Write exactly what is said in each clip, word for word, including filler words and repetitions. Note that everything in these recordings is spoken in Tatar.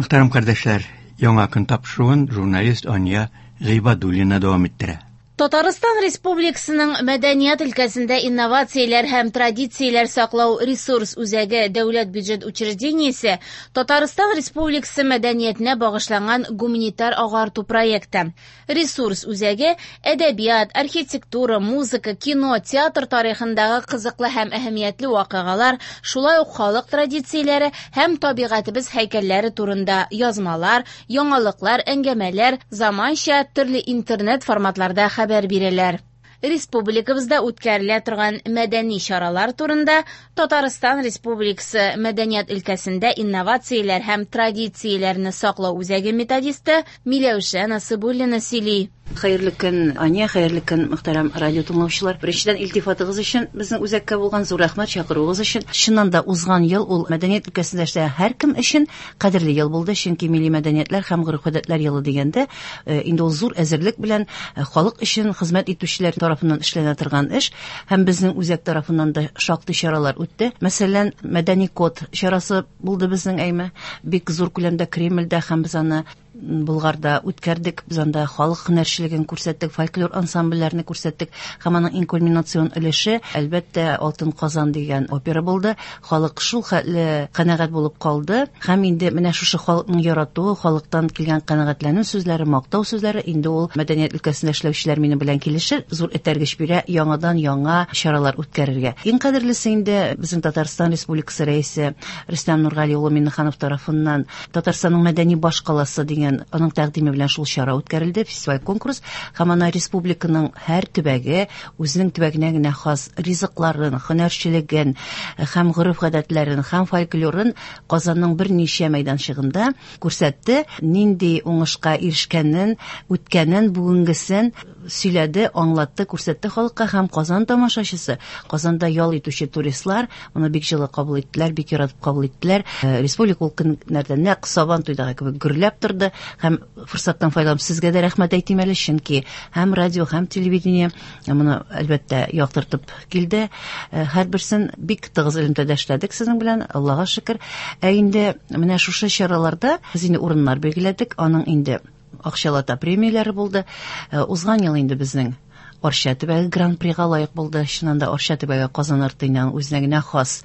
Мөхтәрәм кардәшләр, яңа көн тапшыруын журналист Ания Гыйбадуллина дәвам иттерә. Татарстан Республикасының мәдәният өлкәсендә инновацияләр һәм традицияләр саклау ресурс үзәге дәүләт бюджет учреждениесе Татарстан Республикасы мәдәниятенә багышланган гуманитар агарту проекты. Ресурс үзәге әдәбият, архитектура, музыка, кино, театр тарихындагы кызыклы һәм әһәмиятле вакыйгалар, шулай ук халык традицияләре һәм табигатебез һәйкәлләре турында язмалар, яңалыклар, әңгәмәләр, заманча төрле интернет форматларда хәбәр бирәләр. Республикабызда үткәрелә торган мәдәни чаралар турында Татарстан Республикасы мәдәният өлкәсендә инновацияләр һәм традицияләрне саклау үзәге методисты Миләүшә Насыбуллина сөйли. Хәерле көн, Ания, хәерле көн, мөхтәрәм радио тыңлаучылар. Беренчедән, илтифатыгыз өчен, безнең үзәккә булган зур рәхмәт, чакыруыгыз өчен. Чыннан да узган ел ул мәдәният өлкәсендә эшләгән һәркем өчен кадерле ел булды, чөнки милли мәдәниятләр һәм гореф-гадәтләр елы дигәндә, э, инде ул зур әзерлек белән э, халык өчен хезмәт итүчеләр тарафыннан эшләнә торган эш, һәм безнең үзәк тарафыннан да шактый чаралар үтте. Мәсәлән, мәдәни код чарасы булды безнең, әйме, бик зур күләмдә Кремльдә, һәм без аны Болгарда үткәрдек. Без анда халык һөнәрчелеген күрсәттек, фольклор ансамбльләрне күрсәттек. Һәм аның иң кульминацион өлеше, әлбәттә, Алтын Казан дигән опера булды. Халык шул хәтле канәгать булып калды. Һәм инде менә шушы халыкның яратуы, халыктан килгән канәгатьләнү сүзләре, мактау сүзләре инде ул мәдәният өлкәсендә эшләүчеләр минем белән килешер, зур этәргеч бирә яңадан яңа чаралар үткәрергә. Иң кадерлесе инде безнең Татарстан Республикасы рәисе Рөстәм Нургали улы Миңнеханов тарафыннан Татарстанның мәдәни башкаласы дигән аның тәкъдиме белән шул чара үткәрелде, фестиваль конкурс, һәм ана республиканың һәр төбәге үзенең төбәгенә генә хас ризыкларын, һөнәрчелеген һәм гореф-гадәтләрен һәм фольклорын Казанның берничә мәйданчыгында күрсәтте, нинди уңышка ирешкәнен, үткәнен, бүгенгесен сөйләде, аңлатты, күрсәтте халыкка. Һәм Казан тамашачысы, Казанда ял итүче туристлар моны бик җылы кабул иттеләр, бик яратып кабул иттеләр. Республика ул көннәрдә нәкъ Сабан туйдагы кебек гөрләп торды. Һәм форсаттан файдаланып сезгә дә рәхмәт әйтим әле, чөнки һәм радио, һәм телевидение моны әлбәттә яктыртып килде. Һәрберсен бик тыгыз элемтәдә эшләдек сезнең белән, Аллага шөкер. Ә инде менә шушы чараларда без инде урыннар билгеләдек, аның инде акчалата премияләре булды. Узган ел инде безнең Арча төбәге гран-прига лаек булды. Чыннан да Арча төбәге Казан артыннан үзенә генә хас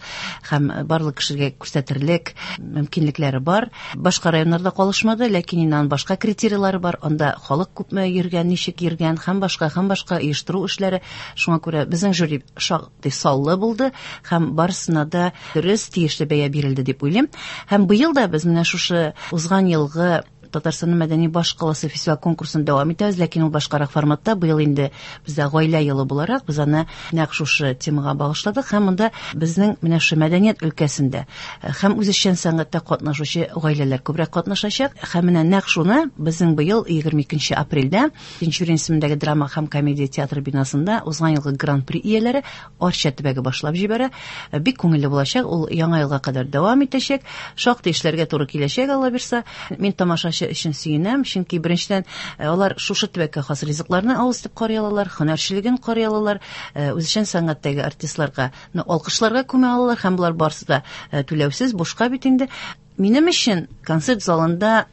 һәм барлык кешегә күрсәтерлек мөмкинлекләре бар. Башка районнарда калышмады, ләкин инде башка критерийлары бар. Анда халык күпме йөргән, ничек йөргән һәм башка һәм башка оештыру эшләре. Шуңа күрә безнең жюри шактый саллы булды һәм барысына да дөрес тиешле бәя бирелде дип уйлыйм. Һәм быел да без менә шушы узган елгы Татарстанның мәдәни башкаласы фестиваль конкурсын дәвам итәбез, ләкин ул башкарак форматта. Быел инде бездә гаилә елы буларак без аны нәкъ шушы темага багышладык һәм монда безнең менә шушы мәдәният өлкәсендә һәм үзешчән сәнгатьтә катнашучы гаиләләр күбрәк катнашачак. Һәм менә нәкъ шуны безнең быел егерме икенче апрельдә Тинчурин исемендәге драма һәм комедия театры бинасында узган елгы гран-при ияләре Арча төбәге башлап җибәрә. Бик күңелле булачак, ул яңа елга кадәр дәвам итәчәк. Шактый эшләргә туры киләчәк, Алла бирса. Мин тамашачы өчен сөенәм, чөнки беренчедән алар шушы төбәккә хас ризыкларны авыз итеп карый алалар, һөнәрчелеген карый алалар, үзешчән сәнгатьтәге артистларга алкышларга күмә алалар, һәм болар барысы да түләүсез, бушка бит инде. Минем өчен концерт залында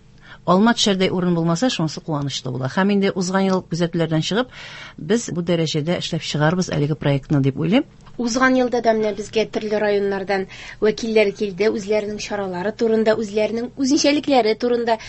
алма төшәрдәй урын булмаса, шунысы куанычлы була. Һәм инде узган ел күзәтүләрдән чыгып, без бу дәрәҗәдә эшләп чыгарбыз әлеге проектны дип уйлыйм. Узган елда да менә безгә төрле районнардан вәкилләр килде, үзләренең чаралары турында, үзләренең үзенчәлекләре турында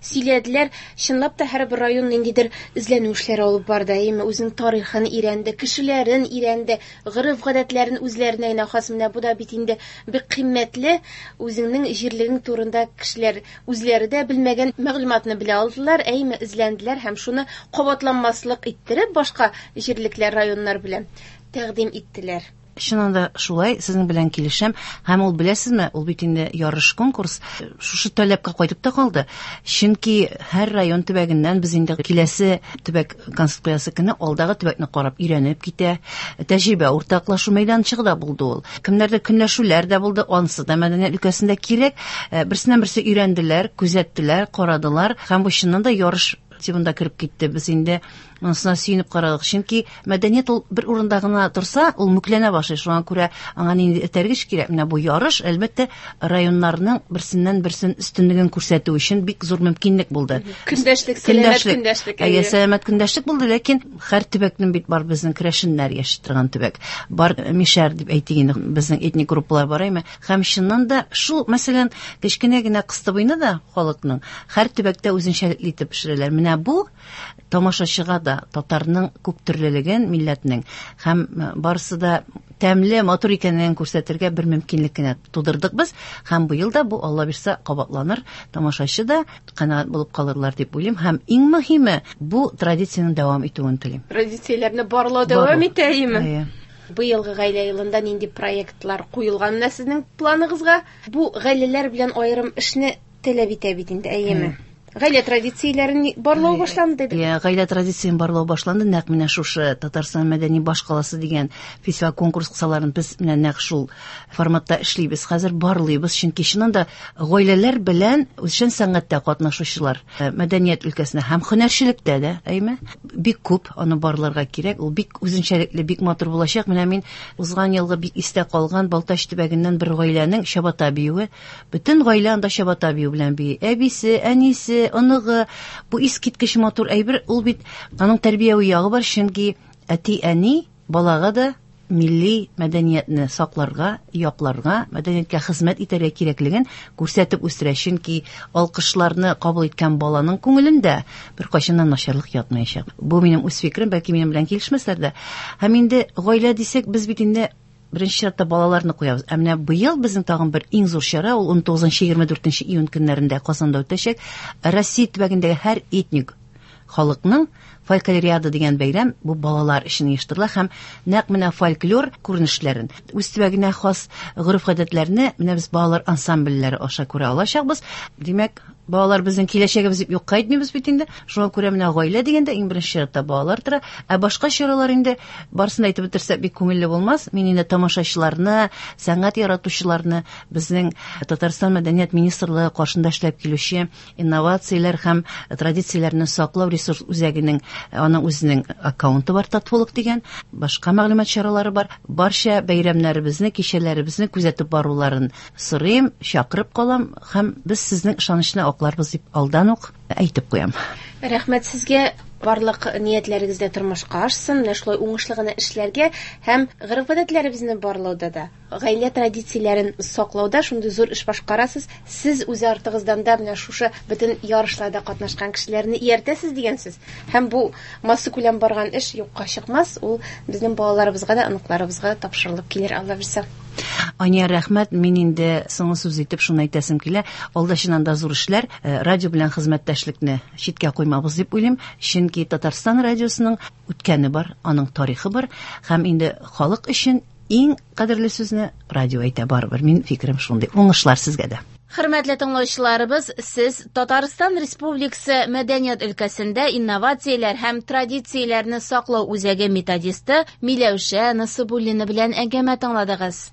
сөйләделәр. Чынлап та һәрбер район ниндидер эзләнү эшләре алып барды, әйеме, үзенең тарихын өйрәнде, кешеләрен өйрәнде, гореф-гадәтләрен үзләренә генә хас. Менә бу да бит инде бик кыйммәтле, үзеңнең җирлегең турында кешеләр үзләре дә белмәгән мәгълүматны белә алдылар, әйеме, эзләнделәр һәм шуны кабатланмаслык иттереп башка җирлекләр, районнар белән тәкъдим иттеләр. Чыннан да шулай, сезнең белән килешәм. Һәм ул, беләсезме, ул бит инде ярыш конкурс шушы таләпкә кайтып та калды. Чөнки һәр район төбәгеннән без инде киләсе төбәк концерт куясы көне алдагы төбәкне карап өйрәнеп китә. Тәҗрибә уртаклашу мәйданчыгы да булды ул. Кемнәрдә көнләшүләр дә булды, ансы да мәдәният өлкәсендә кирәк. Берсеннән берсе өйрәнделәр, күзәттеләр, карадылар. Һәм бу чыннан да ярыш тибында кереп китте. Без инде Монысына сөенеп карадык. Чөнки мәдәният ул бер урында гына торса, ул мүкләнә башлый. Шуңа күрә аңа нинди этәргеч кирәк. Менә бу ярыш, әлбәттә, районнарның берсеннән берсен өстенлеген күрсәтү өчен бик зур мөмкинлек булды. Көндәшлек, сәламәт көндәшлек. Әйе, сәламәт көндәшлек булды, ләкин һәр төбәкнең бит бар безнең керәшеннәр яши торган төбәк. Бар мишәр дип әйтик инде, безнең этник группалар бар әйме. Һәм чыннан да шул, мәсәлән, кечкенә генә кыстыбыйны да халыкның һәр төбәктә үзенчәлекле итеп пешерәләр. Менә бу тамашачыга да татарның күптөрлелеген, милләтнең һәм барысы да тәмле, матур икәнен күрсәтергә бер мөмкинлек кенә тудырдык без. Һәм быел да бу, Алла бирсә, кабатланыр. Тамашачы да канәгать булып калырлар дип уйлыйм. Һәм иң мөһиме, бу традицияне дәвам итүен телим. Традицияләрне барлау дәвам итә, әйеме? Әйе. Быелгы гаилә елында нинди проектлар куелган менә сезнең планыгызга? Бу гаиләләр белән аерым эшне таләп итә бит инде, әйеме? Гаилә традицияләрен барлау башланды бит. Иә, гаилә традициясен барлау башланды. Нәкъ менә шушы Татарстан мәдәни башкаласы дигән фестиваль конкурс кысаларын без менә нәкъ шул форматта эшлибез. Хәзер барлыйбыз, чөнки чыннан да гаиләләр белән үзешчән сәнгатьтә катнашучылар, мәдәният өлкәсендә һәм һөнәрчелектә дә, әйме? Бик күп аны барларга кирәк. Ул бик үзенчәлекле, бик матур булачак. Менә мин узган елгы бик истә калган Балтач төбәгеннән бер гаиләнең чабата биюе. Бөтен гаилә анда чабата бию белән бии. Әбисе, әнисе, оныгы. Бу искиткеч матур әйбер. Ул бит аның тәрбияви ягы бар, чөнки әти-әни балага да милли мәдәниятне сакларга, якларга, мәдәнияткә хезмәт итәргә кирәклеген күрсәтеп үстерә. Чөнки алкышларны кабул иткән баланың күңелендә беркайчан да начарлык ятмаячак. Бу минем үз фикерем, бәлки минем белән килешмәсләр дә. Һәм инде гаилә дисәк, без бит инде беренче чиратта балаларны куябыз. Ә менә быел безнең тагын бер иң зур чара, ул ун тугызынчы егерме дүртенче июнь көннәрендә Казанда үтәчәк. Россия төбәгендәге һәр этник халыкның фольклориада дигән бәйрәм бу балалар өчен оештырыла һәм нәкъ менә фольклор күренешләрен, үз төбәгенә хас гореф-гадәтләрне менә без балалар ансамбльләре аша күрә алачакбыз. Димәк, балалар безнең киләчәгебез дип юкка әйтмибез бит инде. Шуңа күрә менә гаилә дигәндә иң беренче чиратта балалар тора. Ә башка чаралар инде барысын да әйтеп бетерсәк бик күңелле булмас. Мин инде тамашачыларны, сәнгать яратучыларны, безнең Татарстан Мәдәният министрлыгы каршында эшләп килүче инновацияләр һәм традицияләрне саклау ресурс үзәгенең аның үзенең аккаунты бар, Татфолк дигән, башка мәгълүмат чаралары бар. Барча бәйрәмнәребезне, кичәләребезне күзәтеп баруларын сорыйм, чакырып калам һәм без сезнең ышанычны акларбыз дип алдан ук әйтеп куям. Рәхмәт сезгә. Барлык ниятләрегез дә тормышка ашсын, менә шулай уңышлы гына эшләргә һәм гореф-гадәтләребезне барлауда да, гаилә традицияләрен саклауда шундый зур эш башкарасыз. Сез үз артыгыздан да менә шушы бөтен ярышларда катнашкан кешеләрне ияртәсез дигән сүз. Һәм бу массакүләм барган эш юкка чыкмас, ул безнең балаларыбызга да, оныкларыбызга тапшырылып килер, Алла бирсә. Ания, рәхмәт. Мин инде соңгы сүз итеп шуны әйтәсем килә. Алда чыннан да зур эшләр, радио белән хезмәттәшлекне читкә куймабыз дип уйлыйм. Чөнки Татарстан радиосының үткәне бар, аның тарихы бар һәм инде халык өчен иң кадерле сүзне радио әйтә барыбер. Мин фикерем шундый. Уңышлар сезгә дә. Хөрмәтле тыңлаучыларыбыз, сез Татарстан Республикасы мәдәният өлкәсендә инновацияләр һәм традицияләрне саклау үзәге методисты Миләүшә Насыбуллина белән әңгәмә тыңладыгыз.